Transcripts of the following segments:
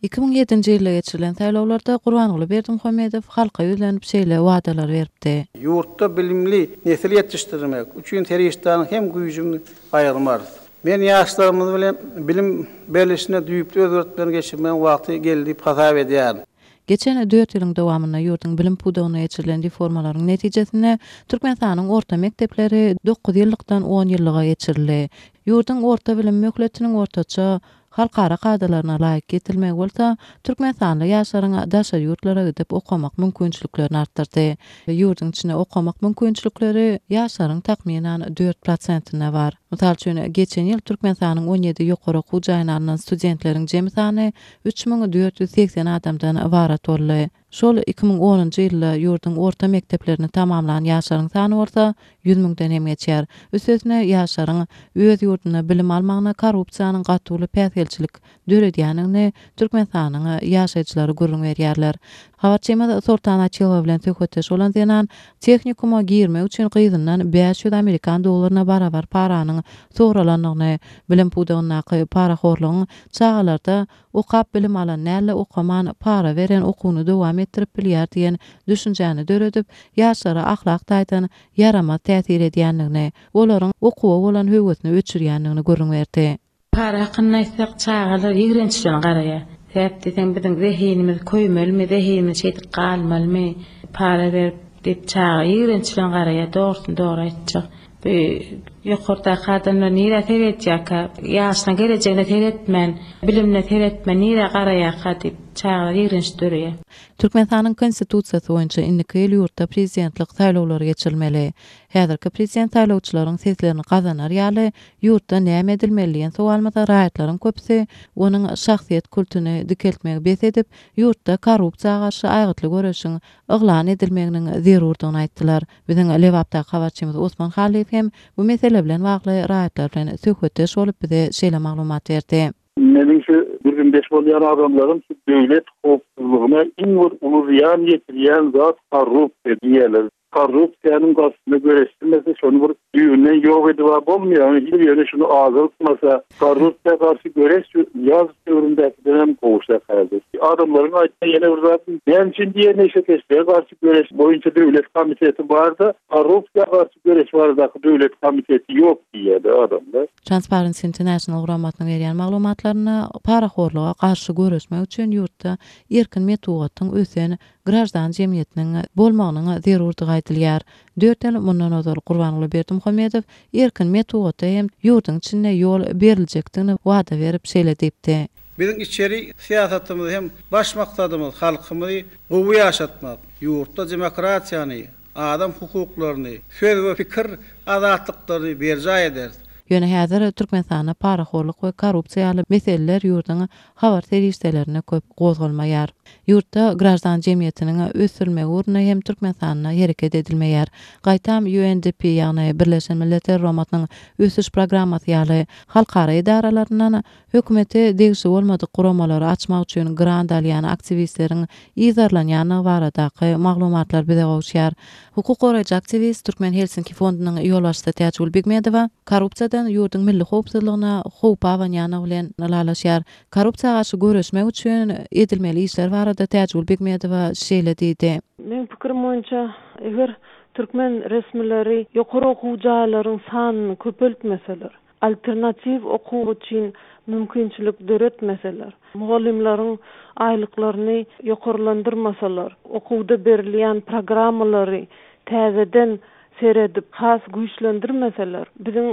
2007-nji ýylda geçirilen saýlawlarda Gurbanguly Berdimuhamedow halka ýüzlenip şeýle wadalar beripdi. Ýurtda bilimli nesil ýetişdirmek üçin serişdäni hem güýjümizi gaýgyrmarys. Men ýaşlarymyz bilen bilim berlişine düýpli özgertmeleri geçirmegiň wagty geldi diýip hasap edýärin. Geçen dört ýylyň dowamynda ýurduň bilim pudagynda geçirilen reformalaryň netijesinde Türkmenistanyň orta mekdepleri dokuz ýyllykdan on ýyllyga geçirildi. Ýurduň orta bilim möhletiniň ortaça halkara kadalaryna laýyk getirilmegi bolsa, türkmenistanly ýaşlaryň daşary ýurtlara gidip okamak mümkinçiliklerini artdyrdy. Ýurduň içinde okamak mümkinçilikleri ýaşlaryň takmynan dört prosentinde bar. Mysal üçin, geçen ýyl Türkmenistanyň 17 ýokary okuw jaýyna alnan studentleriň jemi sany 3480 adamdan ybarat boldy. Şol 2010-njy ýylda ýurduň orta mekdeplerini tamamlan ýaşlaryň sany bolsa 100 müňden hem geçýär. Üstesine, ýaşlaryň öz ýurdunda bilim almagyna korrupsiýanyň gaty uly päsgelçilik döredýändigini Türkmenistanyň ýaşaýjylary gürrüň berýärler. Habarçymyz Soltan Açylowa bilen söhbetdeş bolan zenan tehnikuma girmek üçin gyzyndan 500 amerikan dollaryna barabar paranyň soralandygyny, bilim pudagyndaky parahorlugyň çagalarda Okap bilim alan däl-de okaman para beren okuwyny dowam etdirip bilýär diýen düşünjäni döredip, ýaşlara ahlak taýdan ýaramaz täsir edýändigini, olaryň okuwa bolan höwesini öçürýändigini gürrüň berdi. Para hakynda aýtsak, çagalar ýigrenç bilen garaýar. Sebäp diýseň, biziň zehinimiz köýmelimi, zehinimiz şeýdip galmalymy, para berip diýip çaga ýigrenç bilen garaýar, dogrusyny dogry aýtjak. Bu ýokardaky adamlar nirä seredýärkä? Ýaşyna gelejegine seretmän, bilimine seretmän nirä garaýarka diýip, çagalar ýigrenç döreýär. Türkmenistanyň Konstitusiýasy boýunça indiki ýyl ýurtda prezidentlik saýlawlary geçirilmeli. Häzirki prezident saýlawçylaryň seslerini gazanar ýaly ýurtda näme edilmeli diýen sowalymyza raýatlaryň köpüsi onuň şahsyýet kultuny dikeltmegi bes edip, ýurtda korrupsiýa garşy aýgytly göreşiň yglan edilmeginiň zerurdygyny aýtdylar. Biziň Lebapdaky habarçymyz Osman Hallyýew hem bu mesele bilen bagly raýatlar bilen söhbetdeş bolup bize şeýle maglumat berdi. Meniň şu gürrüňdeş bolýan adamlarym şu döwlet howpsuzlygyna iň bir uly zyýan ýetirýän zat korrupsiýa diýýärler. Korrupsiýanyň garşysyna göreşilmese şony bir düýbünden ýok edib-ä bolmaýar, ýöne şuny azaltmasa korrupsiýa garşy göreş şu Nyýazow döwründäkidenem gowşak häzir. Adamlaryň aýtýan ýene bir zady näme üçin diýýär neşekeşlige garşy göreş boýunça döwlet komiteti bar-da, korrupsiýa garşy göreş baradaky döwlet komiteti ýok diýýärler adamlar. Transparency International guramasynyň berýän maglumatlarynda parahorluga garşy göreşmek üçin ýurtda erkin metbugatyň ösen graždan jemgyýetiniň bolmagynyň zerurdygy aýdylýar. Dört ýyl mundan ozal Gurbanguly Berdimuhamedow erkin metbugata hem ýurduň içinde ýol beriljekdigini wada berip şeýle diýipdi. Biziň içeri syýasatymyz hem baş maksadymyz halkymyzy gowy ýaşatmak, ýurtda demokratiýany, adam hukuklaryny, söz we pikir azatlyklaryny berjaý ederis. Ýöne häzir Türkmenistanda parahorluk we korrupsiýa ýaly meseleler ýurduň habar serişdelerinde köp gozgalmaýar. Ýurtda graždan jemgyýetiniň ösdürilmegi ugrunda hem Türkmenistanda hereket edilmeýär. Gaýtam UNDP, ýagny Birleşen Milletler Guramasynyň Ösüş programmasy ýaly halkara edaralaryndan hökümete degişli bolmadyk guramalary açmak üçin grant alýan aktiwistleriň yzarlanýandygy baradaky maglumatlar bize gowuşýar. Hukuk goraýjy aktiwist, Türkmen Helsinki fondunyň ýolbaşçysy Täjigül Begmedowa korrupsiýadan ýurduň milli howpsuzlygyna howp abanýandygy bilen ylalaşýar. Korrupsiýa garşy göreşmek üçin edilmeli işler barada Täjigül Begmedowa şeýle diýdi. Meň pikirim boýunça, eger türkmen resmileri ýokary okuw jaýlaryň sanyny köpeltmeseler, alternatiw okuw üçin mümkinçilik döretmeseler, mugallymlaryň aýlyklaryny ýokarlandyrmasalar, okuwda berilýän programmalary täzeden seredip, has güýçlendirmeseler, biziň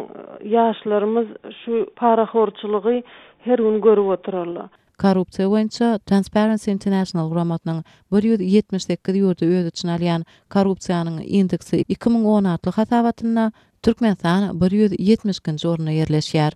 ýaşlarymyz şu parahorçylygy her gün görüp oturarlar. Korrupsiýa boýunça Transparency International guramasynyň 178 ýurdy öz içine alýan Korrupsiýanyň indeksi 2010 atly hasabatynda Türkmenistan 172-nji orunda ýerleşýär.